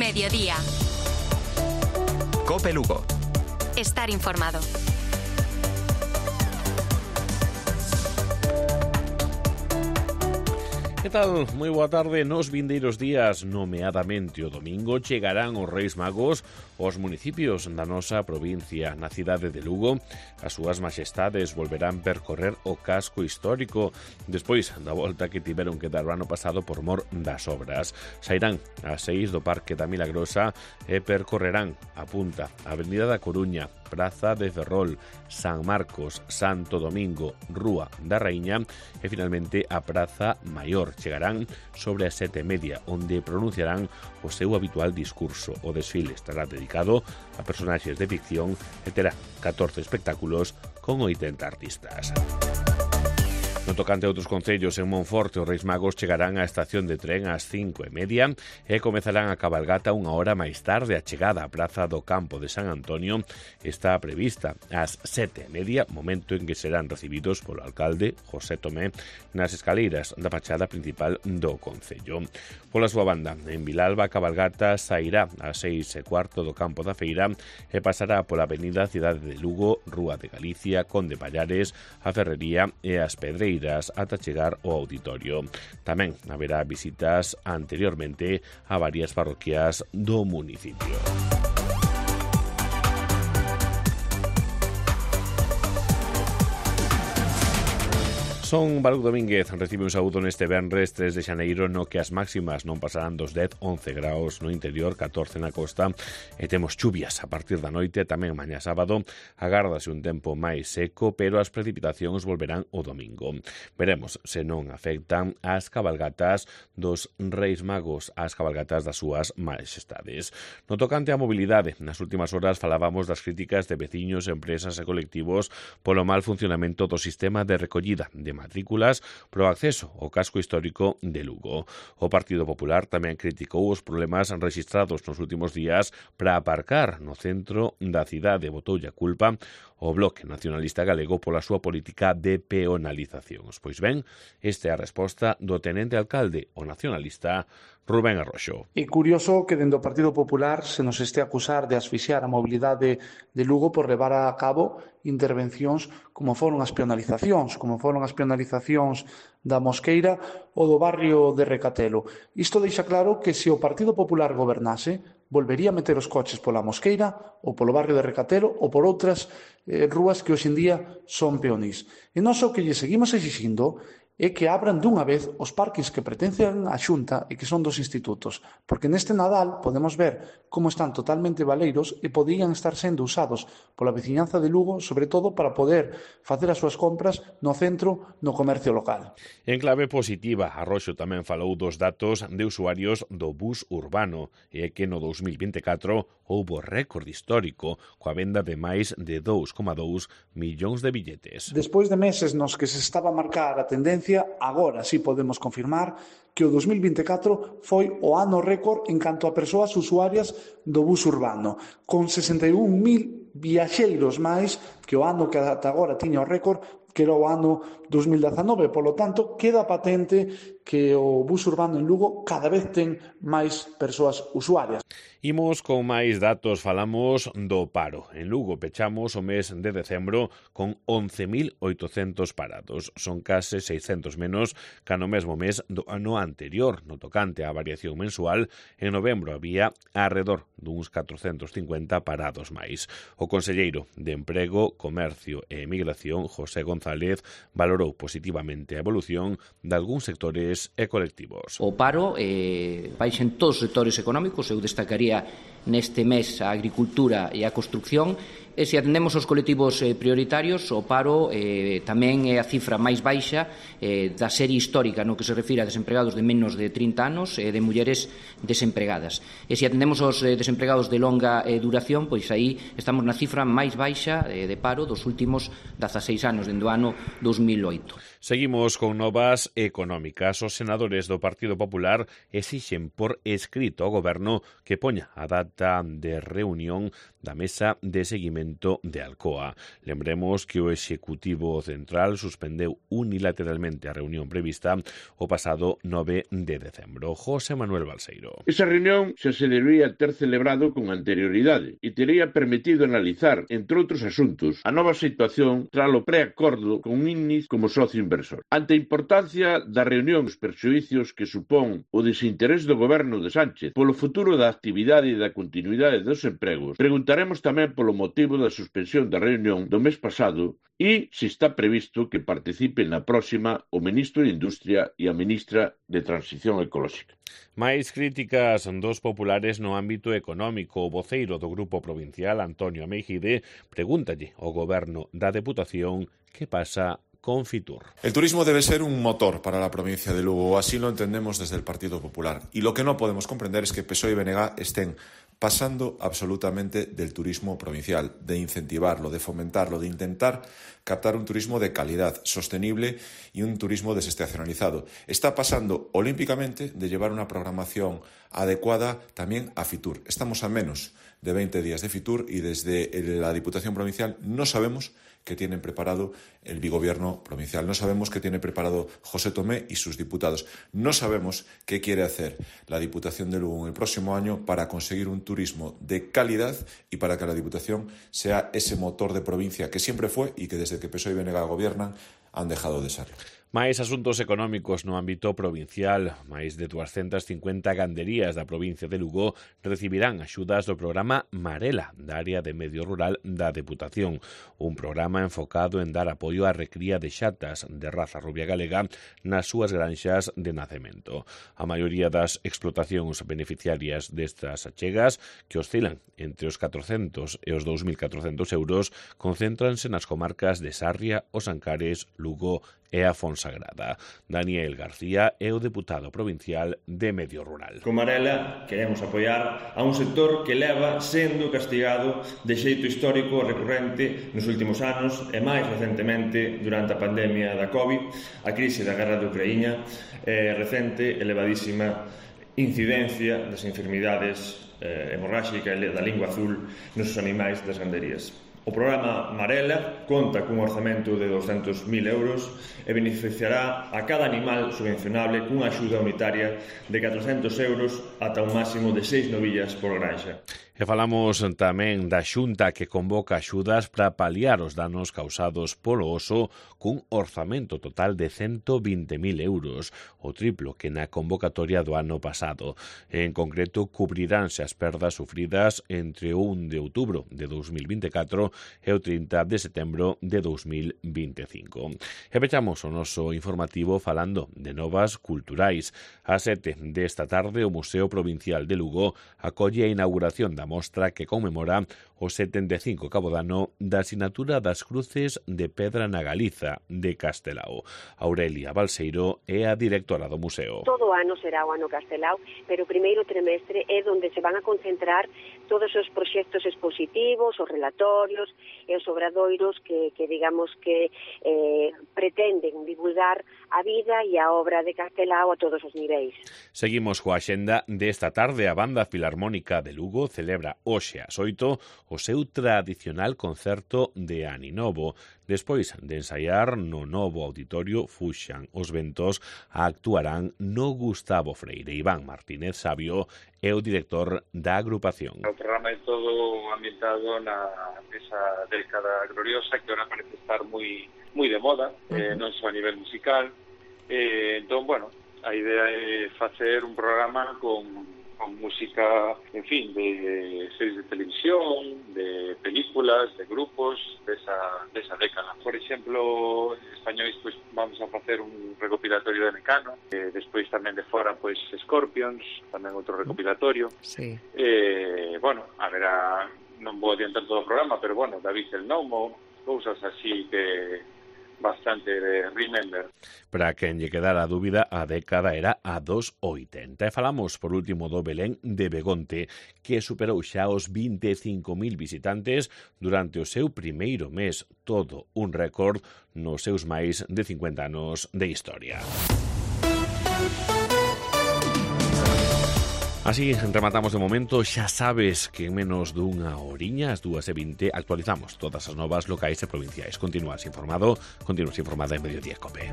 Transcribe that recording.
Mediodía. COPE Lugo. Estar informado. Que tal? Moi boa tarde. Nos vindeiros días, nomeadamente o domingo, chegarán os Reis Magos aos municipios da nosa provincia. Na cidade de Lugo, as súas majestades volverán percorrer o casco histórico despois da volta que tiveron que dar o ano pasado por mor das obras. Sairán ás 6 do Parque da Milagrosa e percorrerán a punta Avenida da Coruña, Praza de Ferrol, San Marcos, Santo Domingo, Rúa da Raíña e finalmente a Praza Maior. Chegarán sobre as 7:30, onde pronunciarán o seu habitual discurso. O desfile estará dedicado a personaxes de ficción e terá 14 espectáculos con 80 artistas. No tocante a outros concellos, en Monforte, os Reis Magos chegarán á estación de tren ás 5:30 e comezarán a cabalgata unha hora máis tarde. A chegada á Praza do Campo de San Antonio está prevista ás 7:30, momento en que serán recibidos polo alcalde José Tomé nas escaleiras da fachada principal do concello. Pola súa banda, en Vilalba, a cabalgata sairá ás 6:15 do Campo da Feira e pasará pola avenida Cidade de Lugo, Rúa de Galicia, Conde Pallares, a Ferrería e as Pedreiras ata chegar ao auditorio. Tamén haberá visitas anteriormente a varias parroquias do municipio. Son Balú Domínguez, recibe un saúdo neste venres 3 de xaneiro, no que as máximas non pasarán dos 10-11 graus no interior, 14 na costa, e temos chuvias a partir da noite. Tamén mañá sábado agárdase un tempo máis seco, pero as precipitacións volverán o domingo. Veremos se non afectan as cabalgatas dos Reis Magos, as cabalgatas das súas majestades. No tocante á mobilidade, nas últimas horas falábamos das críticas de veciños, empresas e colectivos polo mal funcionamento do sistema de recollida de matrículas pro acceso ao casco histórico de Lugo. O Partido Popular tamén criticou os problemas rexistrados nos últimos días para aparcar no centro da cidade. Botoulle a culpa o Bloque Nacionalista Galego pola súa política de peonalizacións. Pois ben, esta é a resposta do tenente alcalde, o nacionalista Rubén Arroxo. É curioso que dende o Partido Popular se nos este a acusar de asfixiar a mobilidade de Lugo por levar a cabo intervencións como foron as peonalizacións da Mosqueira ou do barrio de Recatelo. Isto deixa claro que se o Partido Popular gobernase, volvería a meter os coches pola Mosqueira ou polo barrio de Recatelo ou por outras rúas que hoxe en día son peonís. E nós o que lle seguimos exixindo é que abran dunha vez os parkings que pertencen á Xunta e que son dos institutos, porque neste Nadal podemos ver como están totalmente baleiros e podían estar sendo usados pola veciñanza de Lugo, sobre todo para poder facer as súas compras no centro, no comercio local. En clave positiva, Arroxo tamén falou dos datos de usuarios do bus urbano e que no 2024 houbo récord histórico coa venda de máis de 2,2 millóns de billetes. Despois de meses nos que se estaba a marcar a tendencia, agora sí podemos confirmar que o 2024 foi o ano récord en canto a persoas usuarias do bus urbano, con 61.000 viaxeiros máis que o ano que ata agora tiña o récord, que era o ano 2019. Polo tanto, queda patente que o bus urbano en Lugo cada vez ten máis persoas usuarias. Imos con máis datos, falamos do paro. En Lugo pechamos o mes de decembro con 11.800 parados. Son case 600 menos que no mesmo mes do ano anterior. No tocante á variación mensual, en novembro había arredor duns 450 parados máis. O conselleiro de Emprego, Comercio e Emigración, José González, valorou positivamente a evolución de algúns sectores e colectivos. O paro baixa en todos os sectores económicos. Eu destacaría neste mes a agricultura e a construcción, e se atendemos aos colectivos prioritarios, o paro tamén é a cifra máis baixa da serie histórica no que se refire a desempregados de menos de 30 anos e de mulleres desempregadas. E se atendemos aos desempregados de longa duración, pois aí estamos na cifra máis baixa de paro dos últimos 16 anos, dende o ano 2008. Seguimos con novas económicas. Os senadores do Partido Popular exixen por escrito ao Goberno que poña a data de reunión da mesa de seguimento Ayuntamiento de Alcoa. Lembremos que o Executivo Central suspendeu unilateralmente a reunión prevista o pasado 9 de decembro. José Manuel Balseiro. Esa reunión xa se debería ter celebrado con anterioridade e tería permitido analizar, entre outros asuntos, a nova situación tras o preacordo con INNIS como socio inversor. Ante a importancia da reunión e os perxuízos que supón o desinterés do goberno de Sánchez polo futuro da actividade e da continuidade dos empregos, preguntaremos tamén polo motivo da suspensión da reunión do mes pasado e se está previsto que participe na próxima o ministro de Industria e a ministra de Transición Ecolóxica. Máis críticas dos populares no ámbito económico. O voceiro do Grupo Provincial, Antonio Meijide, pregúntalle ao goberno da Deputación que pasa con Fitur. El turismo debe ser un motor para la provincia de Lugo, así lo entendemos desde el Partido Popular. Y lo que no podemos comprender es que PSOE y BNG estén pasando absolutamente del turismo provincial, de incentivarlo, de fomentarlo, de intentar captar un turismo de calidad, sostenible y un turismo desestacionalizado. Está pasando olímpicamente de llevar una programación adecuada también a Fitur. Estamos a menos de 20 días de Fitur y desde la Diputación Provincial no sabemos qué tienen preparado el bigobierno provincial. No sabemos qué tiene preparado José Tomé y sus diputados. No sabemos qué quiere hacer la Diputación de Lugo en el próximo año para conseguir un turismo de calidad y para que la Diputación sea ese motor de provincia que siempre fue y que desde que PSOE y BNG gobiernan han dejado de serlo. Máis asuntos económicos no ámbito provincial. Máis de 250 ganderías da provincia de Lugo recibirán axudas do programa Marela, da área de medio rural da Deputación. Un programa enfocado en dar apoio á recría de xatas de raza rubia galega nas súas granxas de nacemento. A maioría das explotacións beneficiarias destas achegas, que oscilan entre os 400 e os 2.400 euros, concéntranse nas comarcas de Sarria, Os Ancares, Lugo e a Fonsagrada. Daniel García é o deputado provincial de Medio Rural. Con Marela queremos apoiar a un sector que leva sendo castigado de xeito histórico e recurrente nos últimos anos e máis recentemente durante a pandemia da COVID, a crise da guerra de Ucraína e recente elevadísima incidencia das enfermidades hemorráxica e da lingua azul nos animais das ganderías. O programa Marela conta cun orzamento de 200.000 euros e beneficiará a cada animal subvencionable cunha axuda unitaria de 400 euros ata un máximo de 6 novillas por granxa. E falamos tamén da Xunta que convoca axudas para paliar os danos causados polo oso cun orzamento total de 120.000 euros, o triplo que na convocatoria do ano pasado. En concreto, cubriránse as perdas sufridas entre o 1 de outubro de 2024 e o 30 de setembro de 2025. E pechamos o noso informativo falando de novas culturais. A 7 desta tarde, o Museo Provincial de Lugo acolle a inauguración da mostra que conmemora o 75 cabodano da Sinatura das Cruces de Pedra na Galiza de Castelao. Aurelia Balseiro é a directora do museo. Todo o ano será o ano Castelao, pero o primeiro trimestre é onde se van a concentrar todos os proxectos expositivos, os relatorios e os obradoiros que digamos que pretenden divulgar a vida e a obra de Castelao a todos os niveis. Seguimos coa axenda desta tarde. A Banda Filarmónica de Lugo celebra hoxe ás 8 o seu tradicional concerto de Aninovo. Despois de ensaiar no novo auditorio Fuxan os Ventos, actuarán no Gustavo Freire. Iván Martínez Sabio é o director da agrupación. O programa é todo ambientado nesa década gloriosa que ahora parece estar moi de moda, non só a nivel musical. Entón, bueno, a idea é facer un programa con música, en fin, de series de televisión, de películas, de grupos desa década. Por exemplo, en españois, pues, vamos a facer un recopilatorio de Mecano, despois tamén de fora, pues, Scorpions, tamén outro recopilatorio. Sí. Bueno, haberá, non vou adiantar todo o programa, pero bueno, David el Nomo, cousas así que bastante de remember. Para quen lle quedara a dúbida, a década era a dos 80. E falamos, por último, do Belén de Begonte, que superou xa os 25.000 visitantes durante o seu primeiro mes. Todo un récord nos seus máis de 50 anos de historia. Así rematamos de momento. Xa sabes que en menos dunha horiña, as 2:20, actualizamos todas as novas locais e provinciais. Continúas informada en Mediodía Cope.